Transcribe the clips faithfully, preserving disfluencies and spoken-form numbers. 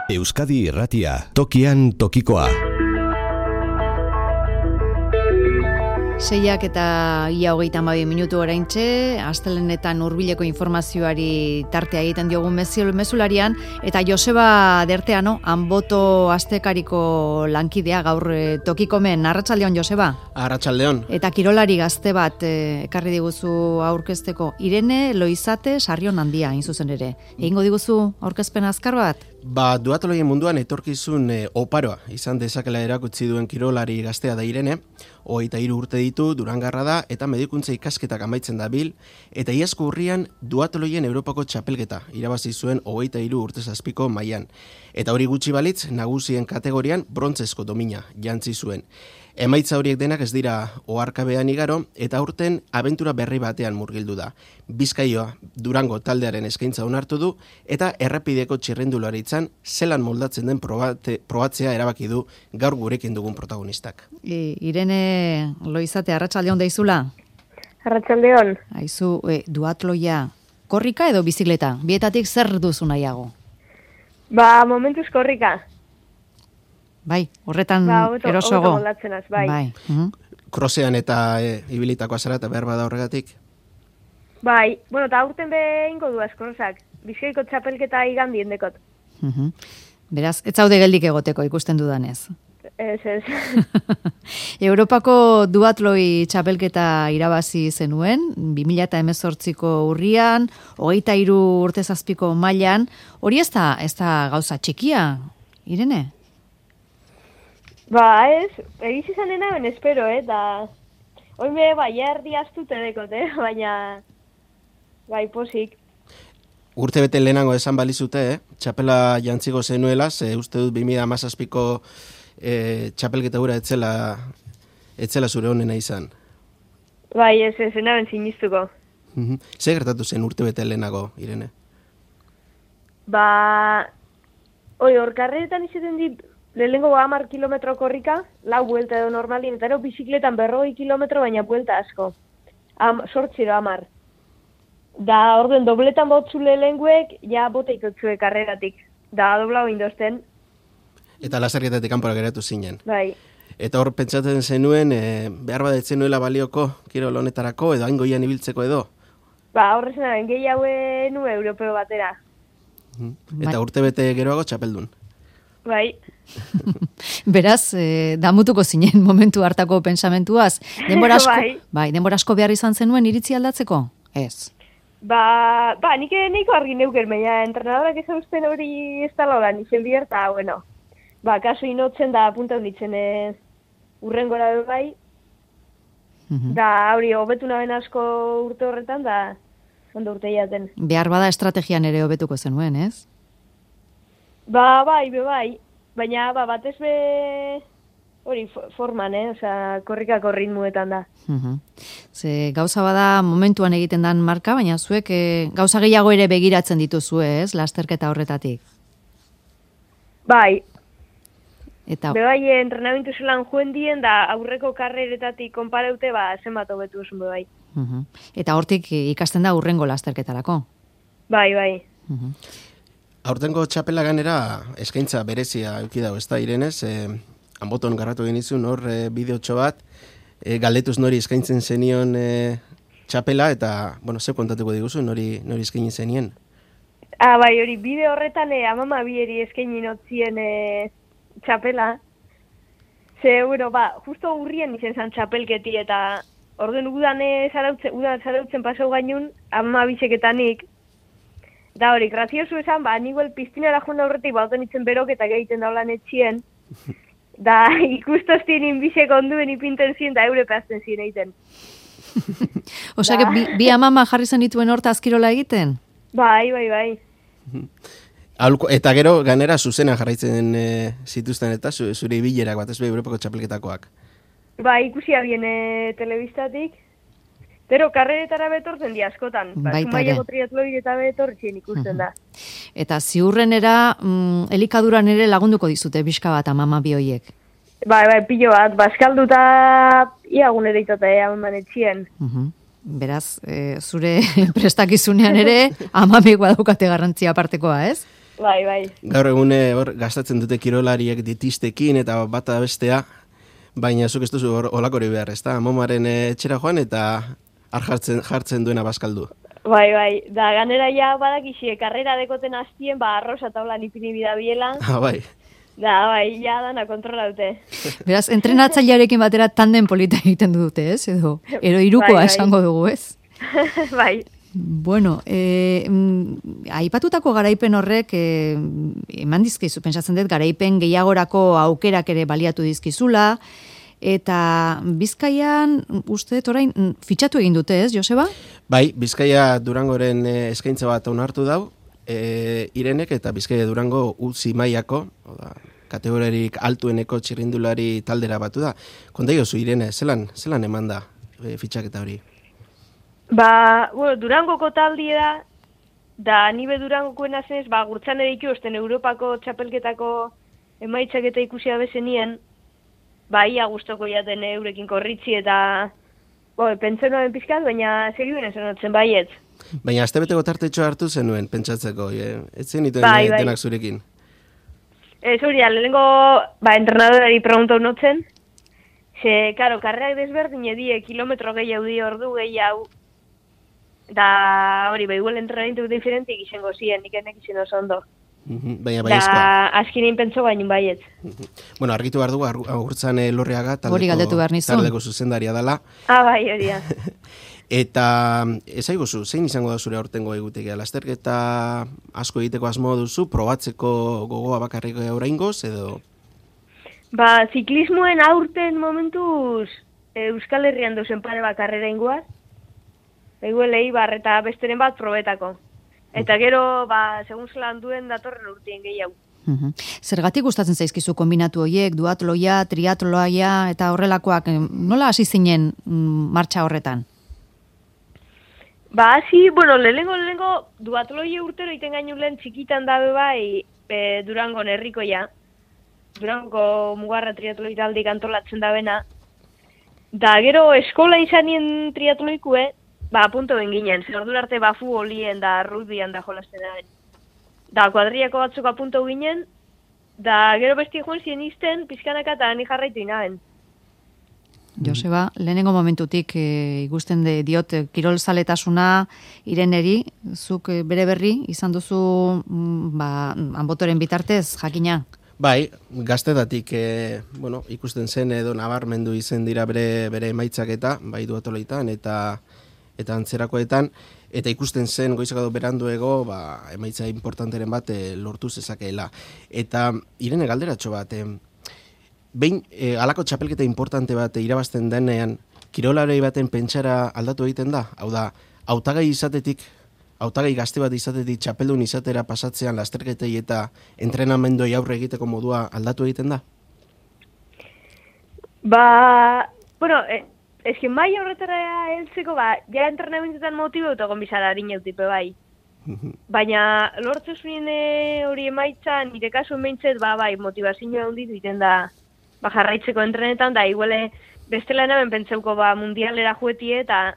Euskadi Irratia, tokian tokikoa. Seiak eta ia hogeita hamabi minutu oraintxe, astelehenetan hurbileko informazioari tartea egiten diogun mezularian, eta Joseba Derteano, Anboto Astekariko lankidea gaur tokikomen. Arratsaldeon, Joseba? Arratsaldeon. Eta kirolari gazte bat eh, ekarri diguzu aurkezteko. Irene Loizate Sarrion handia, hain zuzen ere. Egingo diguzu aurkezpen azkar bat? Ba, duatoloien munduan etorkizun e, oparoa izan dezakela erakutsi duen kirolari gaztea da Irene, hogeita hiru urte ditu, Durangarra da, eta medikuntza ikasketak amaitzen dabil, eta iazko urrian duatoloien Europako txapelketa irabazi zuen hogeita hiru urte zazpiko mailan. Eta hori gutxi balitz, nagusien kategorian brontzezko domina jantzi zuen. Emaitza horiek denak ez dira oharkabean igaro, eta aurten abentura berri batean murgildu da. Bizkaioa Durango taldearen eskaintza onartu du, eta errepideko txirrendularitzan zelan moldatzen den probate, probatzea erabaki du gaur gurekin dugun protagonistak. I, Irene Loizate, arratsaldeon daizula? Arratsaldeon. Aizu, e, duatloia, korrika edo bizikleta? Bietatik zer duzu nahiago? Ba, momentuz korrika. Bai, horretan ba, obeto, erosoago. Obeto az, bai. Bai. Uh-huh. Krosean eta e, ibilitakoa zara eta behar bada horregatik? Bai, bueno, eta aurten behingo duaz krosak. Bizkaiko txapelketa igandien dekot. Uh-huh. Beraz, ez zaude geldik egoteko ikusten dudanez. Ez, ez. Europako duatloi txapelketa irabazi zenuen, bi mila hemezortziko urrian, hogeita hiru urte zazpiko mailan. Hori ez da, ez da gauza txikia, Irene? Ba, ez, egiz izan dena ben espero, eh, da... Oin be, bai, erdi astute dekot, eh, baina... Bai, posik. Urte bete lehenango esan balizute, eh? Txapela jantziko zenuela, ze uste dut bi mila hamazazpiko eh, txapelketa gura etzela, etzela zure honena izan. Bai, ez, ez, naben sinistuko. Mm-hmm. Zer gertatu zen urte bete lehenago, Irene? Ba... Oi, hor karreretan izaten dit... Lehenengo hamar kilometro korrika, lau buelta edo normalin, eta ero bizikletan berrogei kilometro, baina buelta asko. Am, sortziro hamar. Da, orduen, dobletan botzu lehenguek, ja boteik otzue karreratik. Da, doblau indozten. Eta laserketatik kanpora geratu zinen. Bai. Eta hor pentsatzen zenuen, e, behar badetzen nuela balioko, kirol honetarako, edo aingoian ibiltzeko edo? Ba, horrezenaren, gehi haue nu europeo batera. Mm-hmm. Eta urte bete geroago txapeldun. Bai. Beraz, eh, damutuko zinen momentu hartako pensamentuaz. Denbora asko, bai. bai, denbora asko behar izan zenuen iritzi aldatzeko? Ez. Ba, ba, nik nahiko argi neuker, baina entrenadorak ez usten hori ez tala horan, izen bihar, eta, bueno, ba, kaso inotzen da punta honitzen eh, urrengora bai, Uh-huh. da, hori, hobetu naben asko urte horretan, da, ondo urte jaten. Behar bada estrategian ere hobetuko zenuen, ez? Ba, bai, be, bai. Baina, ba, batez be, hori, forman, eh? Osa, korrikako ritmuetan da. Uh-huh. Ze gauza bada momentuan egiten dan marka, baina zuek e, gauza gehiago ere begiratzen dituzue, ez? Lasterketa horretatik. Bai. Eta... Be, bai, entrenamentu zelan joen dien, da aurreko karreretatik konpareute, ba, zenbat hobetu zuen, be, bai. Uh-huh. Eta hortik ikasten da urrengo lasterketarako. Bai, bai. Uh-huh. Aurtengo txapela ganera eskaintza berezia euki dago, ez da, Irenez? E, Anboton garratu genizun hor e, bideotxo bat, e, galdetuz nori eskaintzen zenion e, txapela, eta, bueno, ze kontatuko diguzu, nori, nori eskaini zenien? Ah, bai, hori, bide horretan e, amama bieri eskaini notzien e, txapela. Ze, bueno, ba, justo urrien izen zan txapelketi, eta orden udan zarautzen, udan zarautzen pasau gainun, amama biseketanik. Da hori, graziosu esan, ba, niguel piztinara joan aurretik bauten itzen berok eta gehiten daulan etxien. Da, ikustoztien inbizek onduen ipinten zien, da eure pehazten zien egiten. Osea, bi, bi amama jarri zen dituen horta azkirola egiten? Bai, bai, bai. Aulko, eta gero, ganera zuzena jarraitzen e, zituzten eta zu, zure ibilerak bat, ez be, Europako txapelketakoak. Ba, ikusi abien e, telebistatik. Pero karreretara betortzen di askotan. Ba, Zumaiako triatloi eta betortzen ikusten da. Eta ziurrenera, mm, elikaduran ere lagunduko dizute, bizka bat amama bioiek. Bai, bai, pilo bat, baskalduta iagun ere itote, haman etxien. Uh-huh. Beraz, e, zure prestakizunean ere, amamik badaukate garrantzia apartekoa, ez? Bai, bai. Gaur egune hor gastatzen dute kirolariek ditistekin eta bata bestea, baina zuk ez duzu olakori behar, ez da? Amomaren etxera joan eta har jartzen, jartzen duena bazkaldu. Bai, bai. Da, ganera ja badakixie, karrera dekoten hastien, ba, arrosa taulan ipini bidabiela. Ah, bai. Da, bai, ja dana kontrolaute. Beraz, entrenatzailearekin batera tanden polita egiten dute, ez? Edo, ero irukoa bai, bai. esango dugu, ez? Bai. Bueno, eh, aipatutako garaipen horrek eh, eman dizkizu, pentsatzen dut, garaipen gehiagorako aukerak ere baliatu dizkizula, eta Bizkaian, uste dut orain, fitxatu egin dute, ez, Joseba? Bai, Bizkaia Durangoren eskaintza bat onartu dau, e, Irenek eta Bizkaia Durango utzi mailako, oda, kategoriarik altueneko txirrindulari taldera batu da. Konta iozu, Irene, zelan, zelan eman da e, fitxaketa hori? Ba, bueno, Durangoko taldie da, da nibe Durangokoen azenez, ba, gurtzan ere ikusten Europako txapelketako emaitzak eta ikusia bezenien, ba, ia guztoko jaten eurekin korritzi eta, bo, pentsen noen pizkat, baina segiduen esan baiet. Baina astebeteko tartetxo hartu zenuen, pentsatzeko, e, ez zen ituen bai, bai. denak zurekin. Ez hori, lehenengo, ba, entrenadorari pregunta unotzen, ze, karo, karreak desberdin edie, kilometro gehiago di ordu gehiago, da hori, behiguel entrenamentu diferentik izango ziren, nik enek izan oso ondo. Uh-huh, baina Da, baiezkoa. azkinen pentso baino baiet. Uh-huh. Bueno, argitu behar dugu, agurtzan Lorriaga Hori galdetu behar taldeko, nizun. taldeko zuzendaria dela. Ah, bai, hori da. Eta ezaiguzu, zein izango da zure aurtengo egutegia? Lasterketa asko egiteko asmo duzu, probatzeko gogoa bakarrik oraingoz edo? Ba, ziklismoen aurten momentuz Euskal Herrian duzen pare bakarrera ingoaz. Eguelei bar eta besteren bat probetako. Eta gero, ba, segun zelan duen datorren urtien gehiago. Mhm. Zergatik gustatzen zaizkizu kombinatu horiek, duatloia, triatloia eta horrelakoak, nola hasi zinen mm, martxa horretan? Ba, hasi, bueno, lehenengo, lehenengo, duatloie urtero iten gainu lehen txikitan dabe bai e, Durango herrikoia. Durango mugarra triatloi taldik antolatzen dabena. Da, gero, eskola izanien triatloikue, ba, punto ben ginen, zer ordu arte ba futbolien da rugbyan da jolasten da. Da, kuadriako batzuk apunto ginen, da, gero besti joan zien izten, pizkanaka eta ni jarraitu inaben. Joseba, lehenengo momentutik e, ikusten de, diot e, kirolzaletasuna Ireneri, zuk e, bere berri izan duzu mm, ba, Anbotoren bitartez, jakina? Bai, gaztetatik e, bueno, ikusten zen edo nabarmendu izen dira bere, bere emaitzak eta, bai duatoloitan eta eta antzerakoetan, eta ikusten zen goizakado beranduego, ba, emaitza importanteren bat e, lortu zezakeela. Eta Irene galderatxo bat, e, behin e, alako txapelketa importante bat e, irabazten denean, kirolarei baten pentsara aldatu egiten da? Hau da, hautagai izatetik, hautagai gazte bat izatetik txapeldun izatera pasatzean lasterketei eta entrenamendoi aurre egiteko modua aldatu egiten da? Ba, bueno, e, eski mai horretara heltzeko, ba, ja entrenamentetan motibo eta gombizara harineutipe bai. Baina lortze zuen hori emaitza, nire kasuen behintzet, ba, bai, motivazioa handitu egiten da, ba, jarraitzeko entrenetan, da, iguale, bestela hemen pentseuko, ba, mundialera juetie, eta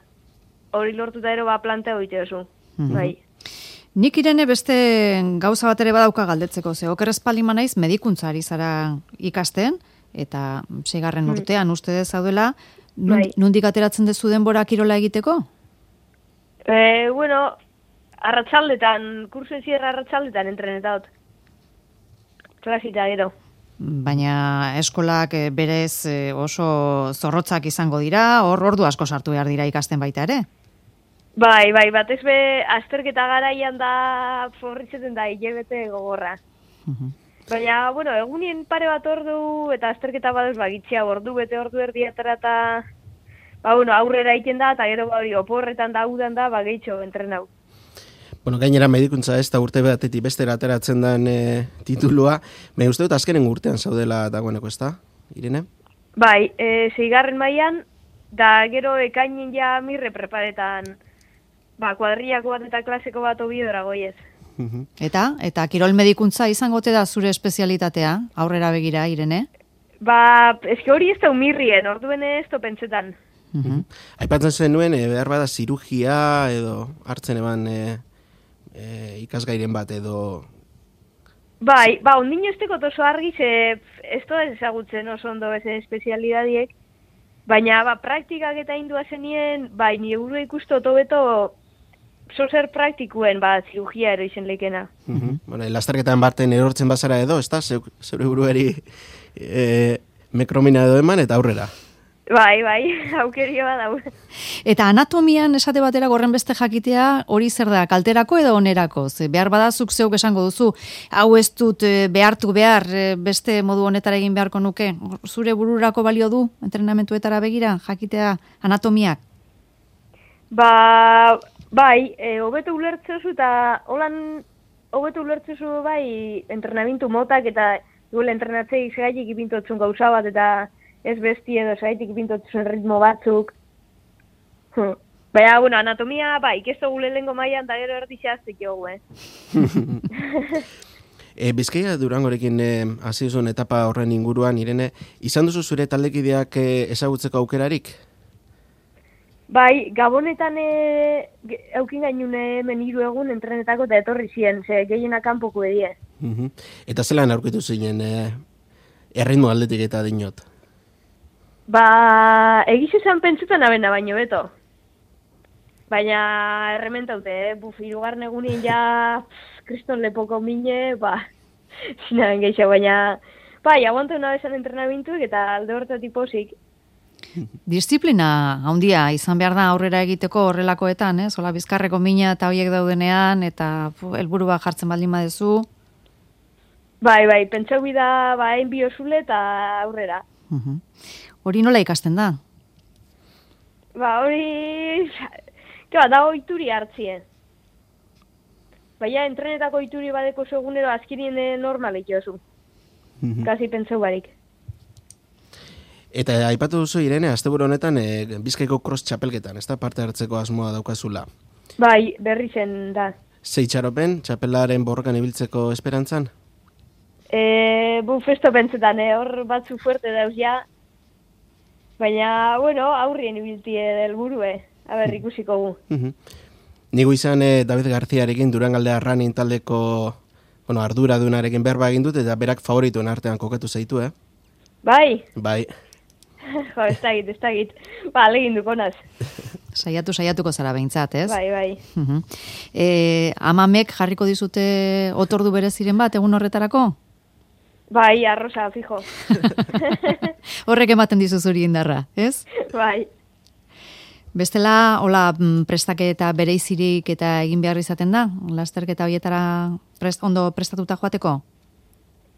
hori lortuta ero, ba, planteo egite oso, bai. Nik Irene beste gauza bat ere badauka galdetzeko, ze oker espalima naiz medikuntza ari zara ikasten, eta seigarren urtean uste dez zaudela, Bai. nondik ateratzen dezu denbora kirola egiteko? E, bueno, arratsaldetan, kursen zierra arratsaldetan entrenetat. Klasita gero. Baina eskolak eh, berez eh, oso zorrotzak izango dira, hor ordu asko sartu behar dira ikasten baita ere? Bai, bai, batez be, azterketa garaian da forritzeten da hilebete gogorra. Baina, bueno, egunien pare bat ordu eta azterketa baduz bagitzia ordu bete ordu erdiatara eta ba, bueno, aurrera egiten da eta gero hori oporretan da udan da, ba, gehitxo entrenau. Bueno, gainera medikuntza ez da urte batetik bestera ateratzen den e, titulua, me uste dut azkenen urtean zaudela dagoeneko, ez da, Irene? Bai, e, zeigarren mailan, da gero ekainen ja mirre preparetan, ba, kuadriako bat eta klaseko bat obidora goiez. Eta, eta kirol medikuntza izangote da zure espezialitatea, aurrera begira, Irene? Ba, eske hori ez da umirrien, orduen ez to pentsetan. Uh-huh. Aipatzen zenuen, e, behar bada zirugia edo hartzen eban e, e, ikasgairen bat edo Bai, ba, ondino ez tekot oso argi, ze ez da ezagutzen oso ondo ezen espezialidadiek, baina ba, praktikak eta indua zenien, bai, nire burua ikustu otobeto zozer praktikuen, ba, zirugia ero izen leikena. Mm-hmm. Bueno, lasterketan barten erortzen bazara edo, ez da, zeure buruari e, mekromina edo eman eta aurrera. Bai, bai, aukerio bat dau. Eta anatomian esate batera gorren beste jakitea hori zer da, kalterako edo onerako? Ze behar badazuk zeuk esango duzu, hau ez dut behartu behar beste modu honetara egin beharko nuke. Zure bururako balio du entrenamentuetara begira jakitea anatomiak? Ba, bai, e, hobeto ulertzezu eta holan hobeto ulertzezu bai entrenamentu motak eta duela entrenatzei segaitik ipintotzun gauza bat eta ez besti edo segaitik ipintotzun ritmo batzuk. Hm. Baina, bueno, anatomia, bai, ikesto gule lengo mailan da gero erdixaztik jogu, eh? e, Bizkaia Durangorekin eh, hasi zuen etapa horren inguruan, Irene, izan duzu zure taldekideak eh, ezagutzeko aukerarik? Bai, Gabonetan e, eukin gainun hemen hiru egun entrenetako eta etorri ziren, ze gehienak kanpoko edie. Uh-huh. Eta zelan aurkitu zinen eh, erritmo aldetik eta dinot? Ba, egiz esan pentsutan abena baino beto. Baina errementaute, eh? Buf, irugarren egunin ja pff, kriston lepoko mine, ba, zinaren gehiago, baina bai, aguantu una bezan entrenamentuek eta alde hortatik pozik. Disiplina handia izan behar da aurrera egiteko horrelakoetan, eh? Zola bizkarreko mina eta hoiek daudenean, eta helburu bat jartzen baldin badezu. Bai, bai, pentsau bida, ba, hain biozule eta aurrera. Uh-huh. Hori nola ikasten da? Ba, hori... Keba, da oituri hartzien. Baina, entrenetako oituri badeko segunero azkirien normalik jozu. Mm-hmm. Kasi pentsau barik. Eta aipatu duzu, Irene, asteburu honetan e, Bizkaiko cross txapelketan, ez da parte hartzeko asmoa daukazula? Bai, berri zen da. Zei txaropen, txapelaren borrokan ibiltzeko esperantzan? E, bu festo pentsetan, eh? Hor batzu fuerte dauz ja. Baina, bueno, aurrien ibiltie del burue. A ber, ikusiko gu. Uh-huh. Nigu izan eh, David Garziarekin Durangaldea Running taldeko bueno, ardura dunarekin berba egin dut, eta berak favorituen artean kokatu zaitu, eh? Bai? Bai. Jo, ez dagit, ez dagit. Ba, alegin dukonaz. Saiatu, saiatuko zara behintzat, ez? Bai, bai. Uh-huh. E, amamek jarriko dizute otordu bereziren bat egun horretarako? Bai, arrosa, fijo. Horrek ematen dizu zuri indarra, ez? Bai. Bestela, hola, prestaketa bereizirik eta egin behar izaten da? Lasterketa horietara prest, ondo prestatuta joateko?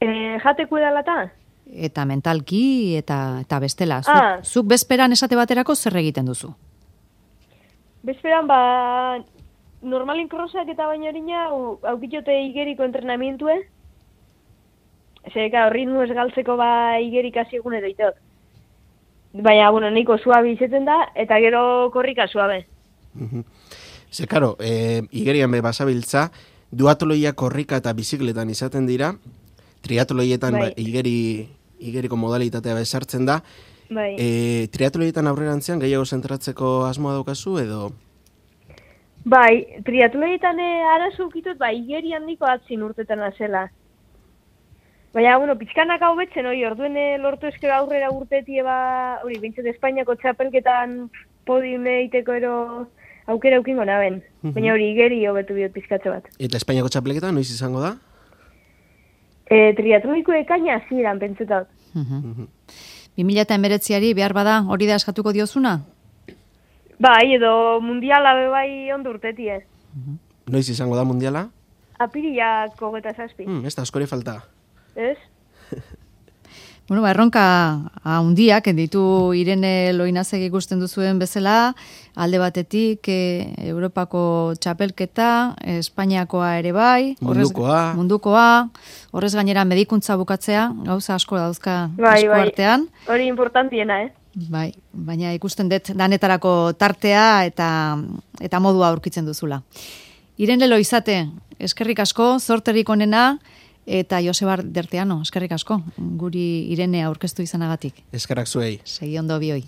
E, jateko edalata? Eta mentalki, eta, eta bestela. Zuk, ah. zuk bezperan esate baterako zer egiten duzu? Bezperan, ba, normalin krosak eta baino horina, aukitxote igeriko entrenamientue. Zeka, ritmo ez galtzeko ba igerik hasi egunero itot. Baina, bueno, nahiko suabe izeten da, eta gero korrika suabe. Ze, karo, e, igerian be basabiltza, duatoloia korrika eta bizikletan izaten dira, triatloietan bai. ba, igeri, igeriko modalitatea besartzen da. Bai. E, triatloietan aurrerantzean gehiago zentratzeko asmoa daukazu, edo? Bai, triatloietan e, arazo ukitut, ba, igeri handiko atzin urtetan azela. Baina, bueno, pixkanak hau betzen, hori, orduen lortu eskero aurrera urtetie ba, hori, bintzat Espainiako txapelketan podiume iteko ero aukera aukingo naben. Uh-huh. Baina hori, igeri hobetu biot pixkatze bat. Eta Espainiako txapelketan, noiz izango da? E, triatloiko ekaina ziren, pentsetat. Uh-huh. bi mila hemeretziari behar bada hori da eskatuko diozuna? Bai, edo mundiala be bai ondo urtetie. Uh-huh. Noiz izango da mundiala? Apiriako geta zazpi. Hmm, ez da, askori falta. Ez? Bueno, ba, erronka handiak ditu Irene Loinazek ikusten duzuen bezala, alde batetik e, Europako txapelketa, Espainiakoa ere bai, mundukoa. Horrez, mundukoa, horrez gainera medikuntza bukatzea, gauza asko dauzka bai, esku artean. Bai, hori importantiena, eh? Bai, baina ikusten dut danetarako tartea eta, eta modua aurkitzen duzula. Irene Loizate, eskerrik asko, zorterik onena, eta Joseba Derteano, eskerrik asko, guri Irene aurkeztu izanagatik. Eskerrak zuei. Segi ondo bioi.